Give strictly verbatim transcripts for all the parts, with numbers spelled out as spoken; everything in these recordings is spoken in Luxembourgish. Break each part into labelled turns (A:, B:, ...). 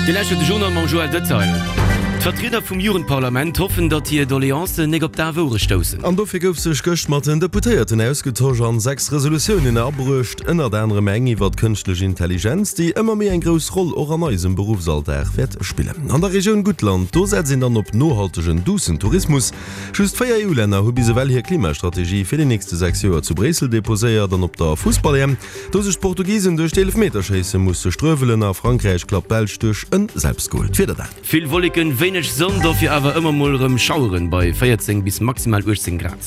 A: Dir lauschtert de Journal mam Joël Detail. D'Vertrieder vum Jugendparlament hoffen, datt hir Doleancen nik op daf Ouere stoussen.
B: An dofir gouf sech gëscht mat den Deputéierten ausgetosch an sechs Resolutiounen abruecht, ënnert anerem eng iwwert d'kënschtlech Intelligenz, déi ëmmer méi eng grouss Roll och an eisem Beruffsalldag wäert spillen. An der Regioun Guttland, do setzt een dann op nohaltegen, duussen Tourismus. Just véier E U-Länner hu bis ewell hir Klimastrategie fir déi nächste sechs Joer zu Bréissel deposéiert. An op der Fussball-E M, do sech d'Portugisen duerch d'Eelefmeterschéisse musse struewelen a Frankräich klappt d'Belsch duerch en Selbstgol. D'Wieder dann.
A: Vill Wolleken, wéineg Sonn, dofir awer ëmmer mol erëm Schaueren bei véierzéng bis maximal uechtzéng Grad.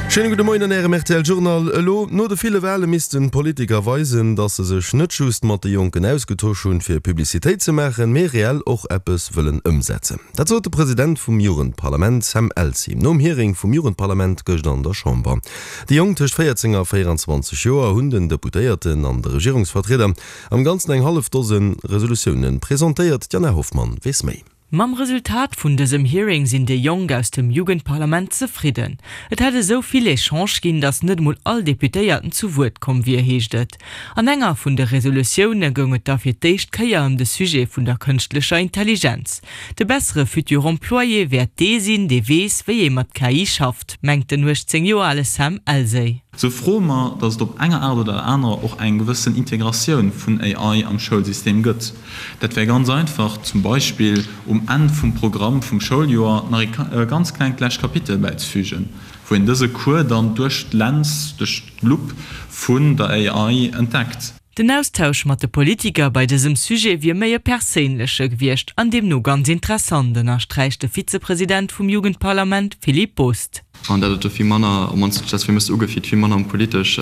B: Schéine gudde Moien an Ärem R T L Journal. Elo no de ville Wale missten d'Politiker weisen, datt se sech net just mat de Jonken ausgetosch hunn, fir Publicitéit ze maachen, mee reell och eppes wëllen ëmsetzen. Dat sot de President vum Jugendparlament Sam Elsey nom Hearing vum Jugendparlament gëscht an der Chamber. Déi Jonk tëscht véierzéng a véierenzwanzeg Joer hunn den Deputéierten an de Regierungsvertrieder am Ganzen eng hallef Dose Resolutioune presentéiert. D'Jana Hoffmann weess méi.
C: Mam Resultat vun dësem Hearing sinn déi Jonk aus dem Jugendparlament zefridden. Et hätt esou vill Echange ginn, datt net mol all Deputéierten zu Wuert komm wier, heescht et. An enger vun de Resolutioune goung et da fir d'éischt Kéier ëm de Sujet vun der kënschtlecher Intelligenz. De bessere Futur Employé wäert dee sinn, dee weess, wéi ee mat K I schafft, mengt den uechtzéng Joer ale Sam Elsey.
D: Sou froe mer, datt et op enger Aart oder anerer och eng gewëssen Integratioun vun A I am Schoulsystem gëtt. Dat wär ganz einfach, zum Beispill um Enn vum Programm vum Schouljoer nach e ganz klengt lescht Kapitel bäizefügen, wou een dëse Cours dann duerch d'Lens, duerch d'Lupp vun der A I entdeckt.
C: Den Austausch mat de Politiker bei dësem Sujet wier méi e perséinleche gewiescht an deemno ganz interessant, ënnersträicht de Vizepresident vum Jugendparlament Philippe Bost.
E: An dat et do vill manner, op mannst huet sech dat fir mech sou ugefillt, vill manner ëm politesch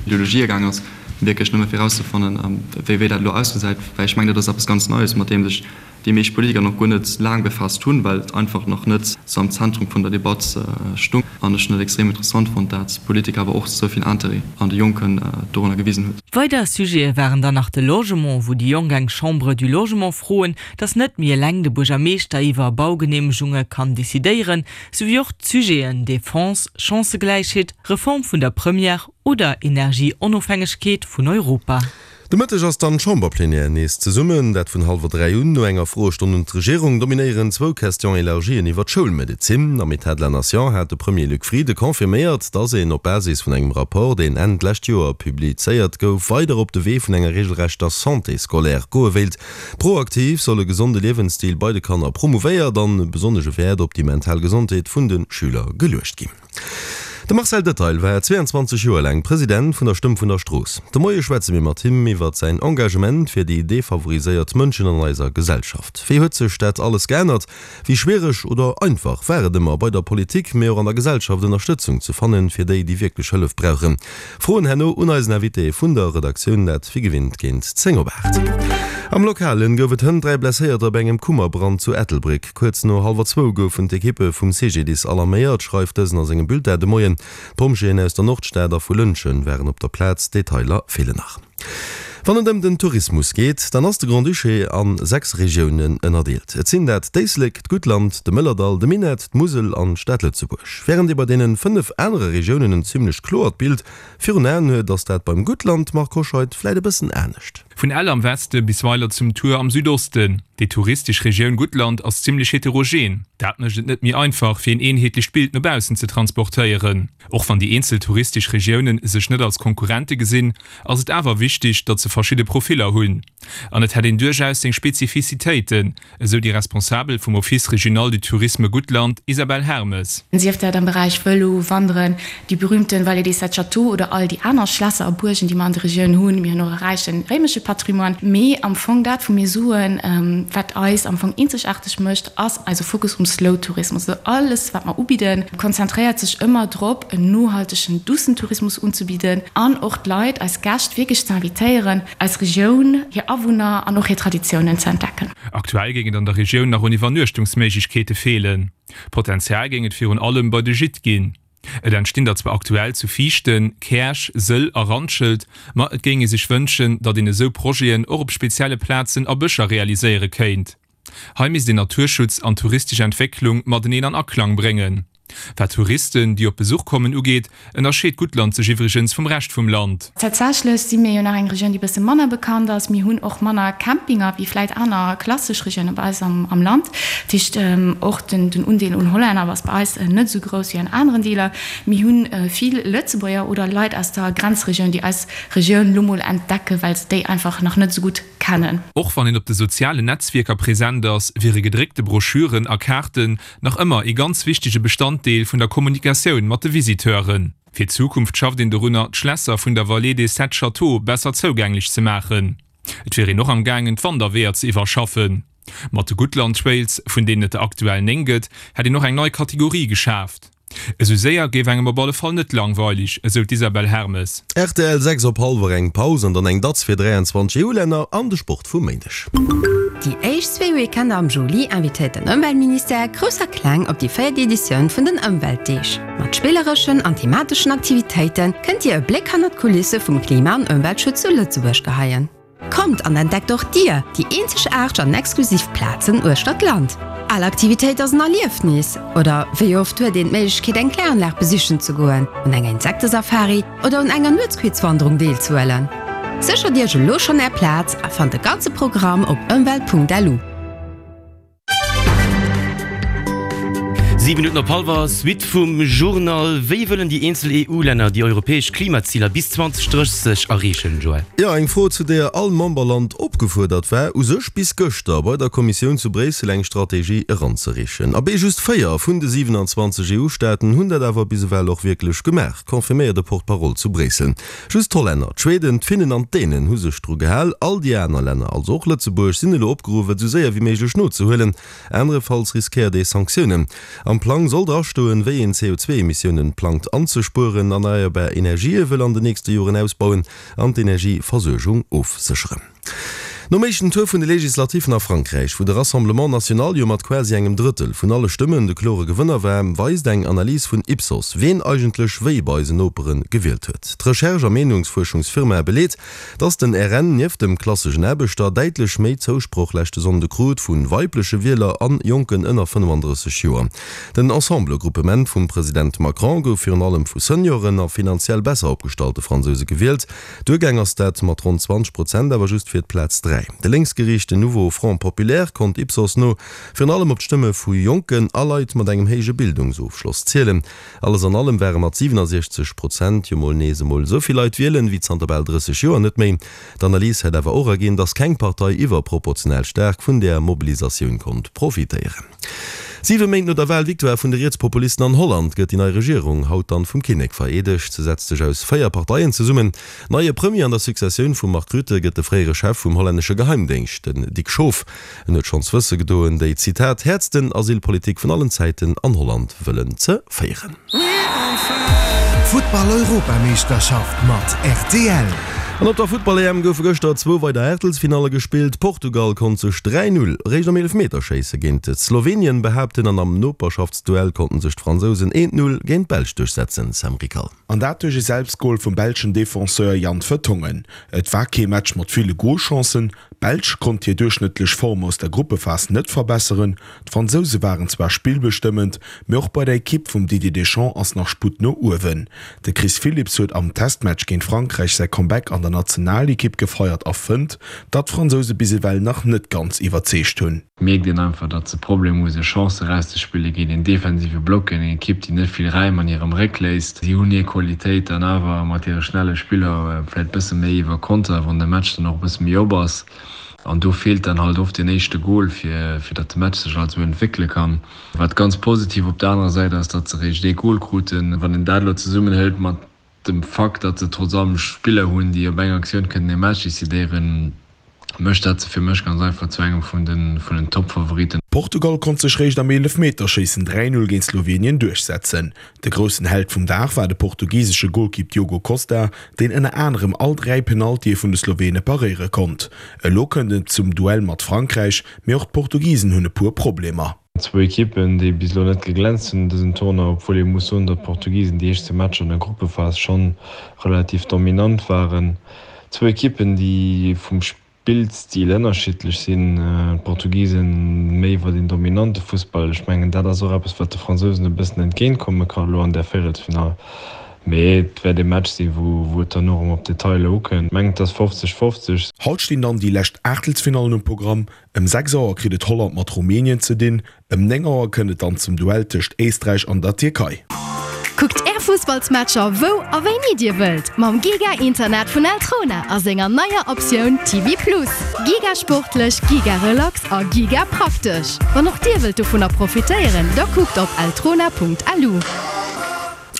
E: Ideologië gaang ass, wierklech nëmme fir erauszefannen, wéi wéi dat elo ausgesäit, well ech mengen, dat ass eppes ganz Neies, mat deem sech déi meescht Politiker nach guer net laang befaasst hunn, well et einfach nach net sou am Zentrum vun der Debatt stung. An ech hunn et extrem interessant fonnt, dat d'Politik awer och sou vill Interêt an de Jonken dorunner gewisen huet.
C: Weider Sujete waren dann nach de Logement, wou déi Jonk eng Chambre du Logement froen, datt net méi eleng de Buergermeeschter iwwer Baugeneemegunge kann decidéieren, souwéi och d'Sujeten Defense, Chancëgläichheet, Reform vun der Première oder Energieonofhängegkeet vun Europa.
B: De Mëtteg ass dann d'Chamberplenière nees zesummen, dat vun hallwer dräi un. No enger Froestonn un d'Regierung dominéieren zwou Question-élargien iwwer d'Schoulmedezin. Am État de la Nation hat de Premier Luc Frieden confirméiert, datt een op Basis vun engem Rapport, deen Enn d'lescht Joer publizéiert gouf, weider op de Wee vun enger regelrechter Santé scolaire goe wéilt. Proaktiv soll e gesonde Liewensstil bei de Kanner promouvéiert an besonnesche Wäert op déi mental Gesondheet vun de Schüler geluecht ginn. De Marcel Detail war zweeanzwanzeg Joer laang President vun der Stëmm vun der Strooss. De Moie schwätze mir mat him iwwer säin Engagement fir déi defavoriséiert Mënschen an eiser Gesellschaft. Wéi huet sech dat alles geännert? Wéi schwiereg oder einfach war et ëmmer bei der Politik, mee och an der Gesellschaft Ënnerstëtzung ze fannen, fir déi, déi wierklech Hëllef brauchen? Froen herno un eisen Invité vun der Redaktioun, dat wéi gewinnt géint zéng op aacht. Am Lokalen gouf et hënt dräi Blesséierter bei engem Kummerbrand zu Ettelbréck. Kuerz no hallwer zwou goufen d'Ekippe vum C G D I S alarméiert, schreift dësen a sengem Bulletin de Moien. D'Pompjeeën aus der Nordstad a vu Lëntgen waren op der Plaz, Detailer feelen nach. Wann et ëm den Tourismus geet, dann ass de Grand-Duché a sechs Regiounen ënnerdeelt. Et sinn dat d'Éislek, d'Guttland, de Mëllerdall, de Minett, d'Musel an d'Stad Lëtzebuerg. Wärend ee bei deene fënnef anere Regiounen en zimmlech kloert Bild virun Aen huet, ass dat beim Guttland, Marc Hoscheid, vläit e bëssen anescht.
F: Vun Ell am Weste bis Weiler zum Tuer am Südosten. Déi touristesch Regioun Guttland ass zimmlech heterogen. Dat mécht et net méi einfach, fir een eenheetlecht Bild no baussen ze transportéieren. Och wann déi eenzel touristesch Regiounen sech net als Konkurrente gesinn, ass et awer wichteg, datt se verschidde Profiller hunn. An et hätt een duerchaus seng Spezifizitéiten, esou déi Responsabel vum Office régional du tourisme Guttland, Isabelle Hermes.
G: Sief dat am Beräich Vëlo, Wanderen, déi berühmten Vallée des Sept Châteaux oder all déi aner Schlässer a Buergen, déi mer an der Regioun hunn. Mir hunn och e räiche réimesche Patrimoine. Mee am Fong dat, wou mir soen, wat eis am Fong eenzegaarteg mécht, ass eise Fokus um Slow Tourismus. Also alles, wat mer ubidden, konzentréiert sech ëmmer drop, en nohaltegen, duussen Tourismus unzebidden an och d'Leit, eis Gäscht wierklech ze invitéieren, eis Regioun, hir Awunner an och hir Traditiounen ze entdecken.
F: Aktuell géing et an der Regioun nach un Iwwernuechtungsméiglechkeete feelen. Potenzial géing et virun allem bei de Gîte ginn. Et entstinn der zwar aktuell zu Viichten, Käerch, Sëll a Randschelt, ma et géing ee sech wënschen, datt een esou Projeten och op spezielle Plazen a Bëscher realiséiere kéint. Hei misst een Naturschutz an touristesch Entwécklung mateneen an Aklang bréngen. Wat Touristen, déi op Besuch kommen, ugeet, ënnerscheet Guttland sech iwwregens vum Rescht vum Land.
G: Tatsächlech si mir jo nach eng Regioun, déi e bësse manner bekannt ass. Mir hunn och manner Campinger wéi vläit aner klassesch Regioune bei eis am Land. Dat heescht, och den Undeel un Hollänner ass bei eis net esou grouss wéi an aneren Deeler. Mir hu vill Lëtzebuerger oder Leit aus der Grenzregioun, déi eis Regioun lo mol entdecken, well se déi einfach nach net esou gutt kennen.
F: Och wann een op de sozialen Netzwierker present ass, wiere gedréckte Broschüren a Kaarten nach ëmmer ee ganz wichtege Bestanddeel vun der Kommunikatioun mat de Visiteuren. Fir d'Zukunft schafft een dorunner, d'Schlässer vun der Vallée des Sept Châteaux besser zougänglech ze maachen. Et wier een och am gaangen, d'Wanderweeër ze iwwerschaffen. Mat de Guttland Trails, vun deenen et der aktuell néng gëtt, hätt een och eng nei Kategorie geschaaft. Esou séier géif engem op alle Fall net langweilig, esou d'Isabelle Hermes.
B: Rtl, Sechs op hallwer eng Paus an dann eng Datz fir dräianzwanzeg EU-Länner an de Sport vum Méindeg.
H: Déi éischt zwee Weekender am Juli invitéiert den Ëmweltministère Grouss a Kleng op déi véiert Editioun vun den Ëmweltdeeg. Mat spillereschen an themateschen Aktivitéite kënnt Dir e Bléck hannert d'Kulisse vum Klima an Ëmweltschutz zu Lëtzebuerg geheien. Kommt an entdeckt och Dir déi eenzegaarteg an exklusiv Plazen uechter d'Land. All Aktivitéit ass en Erliefnis! Oder wéi oft huet een d'Méiglechkeet eng Kläranlag besichen ze goen, un enger Insektesafari oder un enger Nuetsquizwanderung deelzehuelen? Séchert Iech elo schonn Är Plaz a fannt de ganze Programm op ëmwelt.lu.
A: Siwe Minutten op hallwer, Suite vum Journal. Wéi wëllen déi eenzel EU-Länner déi europäesch Klimaziler bis zweitausenddrësseg erreechen, Joël?
B: Jo, eng Fro, zu deeër all Memberland opgefuerdert war, u sech bis gëschter bei der Kommissioun zu Bréissel eng Strategie eranzereechen. Abee, just véier vun de siwenanzwanzeg EU-Staaten hunn dat awer bis ewell och wierklech gemaach, confirméiert e Porte-parole zu Bréissel. Just d'Hollänner, d'Schweden, d'Finnen an d'Dänen hu sech dru gehal. All déi aner Länner, also och Lëtzebuerg, sinn elo opgeruff, et esou séier wéi méiglech nozehuelen. Anerefalls riskéiert ee Sanktiounen. Am Plang soll drastoen, wéi een C O zwei Emissiounen plangt anzespueren, erneierbar Energië wëll an den nächste Joren ausbauen an d'Energieversuergung ofsécheren. Nom éischten Tour vun de Legislativen a Frankräich, wou de Rassemblement National jo mat quasi engem Drëttel vun alle Stëmmen de klore Gewënner war, weist eng Analys vun Ipsos, ween eigentlech wéi bei eisen Nopere gewielt huet. D'Recherche a Meenungsfuerschungsfirma beleet, Dass den R N nieft dem klasseschen Aarbechter däitlech méi Zousproch leschte Sonnde krut vu weibleche Wieler an Jonken ënner fënnefandrësseg Joer. Den Ensemble-Gruppement vum President Macron gouf virun allem vu Senioren a finanziell besser opgestallte Fransouse gewielt. Duergaang ass dat mat ronn zwanzeg Prozent awer just fir d'Plaz dräi. De lénksgeriichten Nouveau Front Populaire konnt Ipsos no virun allem op d'Stëmme vu Jonken a Leit mat engem héije Bildungsofschloss zielen. Alles an allem ware mat siwenasiechzeg Prozent jo mol nees emol esou vill Leit wielen, wéi zanter bal drësseg Joer net méi. D'Analys hätt awer och erginn, datt keng Partei iwwerproportional staark vun där Mobilisatioun konnt profitéieren. Siwe Méint no der Walvictoire vun de Rietspopulisten an Holland gëtt déi nei Regierung haut dann vum Kinnek vereedegt. Se setzt sech aus véier Parteien zesummen. Neie Premier an der Successioun vum Mark Rutte gëtt de fréiere Chef vum hollännesche Geheimdéngscht, den Dick Schoof. En huet schonns wësse gedoen, déi, Zitat, häertsten Asylpolitik vun allen Zäiten an Holland wëllen ze féieren.
I: Futtball-Europameeschterschaft mat R T L.
B: An op der Futtball-E M goufe gëschter zwou weider Aachtelsfinalle gespillt. Portugal konnt sech dräi Null réischt am Eelefmeterschéisse géint Slowenien behaapten an am Noperschaftsduell konnten sech d'Fransousen eent Null géint d'Belsch duerchsetzen. Sam Rickal.
I: An dat duerch e Selbstgol vum belschen Defenseur Jan Vertonghen. Et war kee Match mat ville Golchancen. D'Belsch konnt hir duerchschnëttlech Form aus der Gruppephas net verbesseren. D'Fransouse waren zwar spillbestëmmend, mee och bei der Ekipp vum Didier Deschamps ass nach Sputt no uewen. De Chris Philipps huet am Testmatch géint Frankräich säi Comeback an der Nationalekipp gefeiert a fënnt, datt d'Fransouse bis ewell nach net ganz iwwerzeegt hunn.
J: Mierkt een einfach, datt se Problemer hu sech Chancen erauszespille géint een defensive Block, géint eng Ekipp, déi net vill Räim an hirem Réck léisst. Si hunn hir Qualitéit dann awer mat hire schnelle Spiller, vläicht bësse méi iwwer Konter, wann de Match dann och e bësse méi op ass. An do feelt dann halt oft deen éischte Gol, fir fir datt de Match sech halt esou entwéckele kann. Wat ganz positiv op der anerer Säit ass, datt se eréischt ee Gol kruten. Wann een dat elo zesummenhëlt mat dem Fakt, datt se trotz allem Spiller hunn, déi op eng Aktioun kënnen ee Match decidéieren, mécht dat se fir mech ganz einfach zu engem vun den vun den Toppfavoriten.
I: Portugal konnt sech réischt am Eelefmeterschéissen dräi Null géint Slowenien duerchsetzen. De groussen Held vum Dag war de portugisesche Golkipp Diogo Costa, deen ënner anerem all dräi Penaltye vun de Slowene paréiere konnt. Elo kënnt et zum Duell mat Frankräich, mee och d'Portugisen hunn e puer Problemer.
J: Zwou Ekippen, déi bis elo net geglänzt hunn an dësem Tournoi, obwuel ee muss soen, datt d'Portugisen déi éischt zwee Matcher an der Gruppephas schonn relativ dominant waren. Zwou Ekippen, déi vum Spillstil ënnerschiddlech sinn. D'Portugisen méi iwwer een dominante Fussball. Ech mengen, dat ass och eppes, wat de Fransousen e bëssen entgéint komme ka elo an där Véierelsfinall. Mee et wäert ee Match sinn, wou wou et dann och erëm op Detailer ukënnt. Ech mengen, et ass fofzeg fofzeg.
I: Haut stinn dann déi lescht Aachtelsfinallen um Programm. Ëm sechs Auer kritt et Holland mat Rumänien ze dinn. Ëm néng Auer kënnt et dann zum Duell tëscht Éisträich an der Tierkei.
K: Kuckt är Fussballsmatcher wou a wéini dir wëllt mam Giga Internet vun Eltrona a senger neier Optioun T V Plus. Giga sportlech, giga relax a giga praktesch. Wann och dir wëllt dovunner profitéieren, da kuckt op eltrona Punkt lu.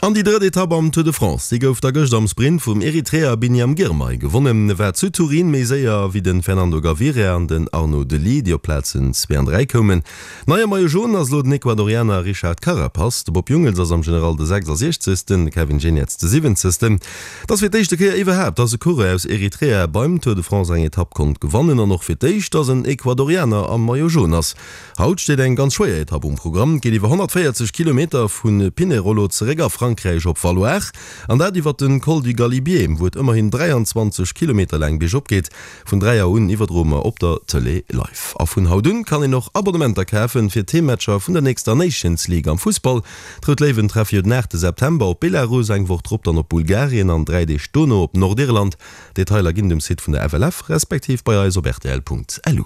B: An déi drëtt Etapp am Tour de France, déi gouf da gëscht am Sprint vum Eritreer Biniam Girmay gewonnen. E war zu Turin méi séier wéi de Fernando Gaviria an den Arnaud De Lie, déi op Plazen zwee an dräi koumen. Neie Maillot Jaune ass elo den Ecuadorianer Richard Carapaz. De Bob Jungels ass am General de sechsasiechzegsten, de Kevin Geniets de siwwenzegsten. Et ass fir d'éischte Kéier iwwerhaapt, dass e Coureur aus Eritrea beim Tour de France eng Etapp konnt gewannen an och fir d'éischt, dass en Ecuadorianer am Maillot Jaune ass. Haut steet eng ganz schwéier Etapp um Programm. Et geet iwwer honnertvéierzeg Kilometer vu Pinerolo zeréck a Frankräich op Valloire an dat iwwer den Col du Galibier, wou et ëmmerhin dräianzwanzeg Kilometer laang biergop geet. Vun dräi Auer un iwwerdroe mer op der Tëlee live. A vun haut un kann een och Abonnementer kafen fir d'Heemmatcher vun der nächster Nations League am Fussball. D'Rout Léiwen treffe jo den aachte September op Belarus, eng Woch drop dann op Bulgarien an dräi Deeg dono op Nordirland. Detailer ginn et um Site vun der F L F respektiv bei eis op rtl Punkt L U.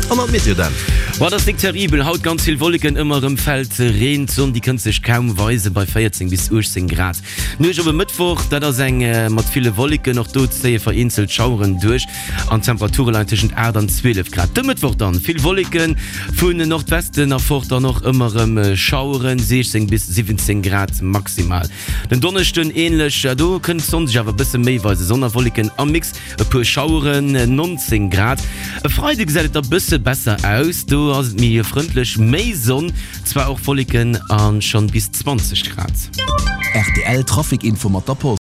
B: An an d'Meteo dann.
A: Boah, dat ass nik terribel. Haut ganz vill Wolleken, ëmmer erëm fält Reen. D'Sonn, déi kënnt sech kaum weisen bei véierzéng bis uechtzéng Grad. D'Nuecht op e Mëttwoch, dat ass eng mat ville Wolleken, och do zéie vereenzelt Schaueren duerch an d'Temperature leien tëschent aacht an zwielef Grad. De Mëttwoch dann vill Wolleken, vun Nordwesten erfort dann och ëmmer erëm Schaueren, siechzéng bis siwwenzéng Grad maximal. Den Donneschden änlech, do kënnt d'Sonn sech awer e bësse méi weisen, Sonn a Wolleken am Mix, e puer Schaueren, nonzéng Grad. E Freide gesäit et da bësse besser aus, do ass et méi frëndlech, méi Sonn, zwar och Wolleken a schonn bis zwanzeg Grad.
L: R T L Trafic Info mat der Post.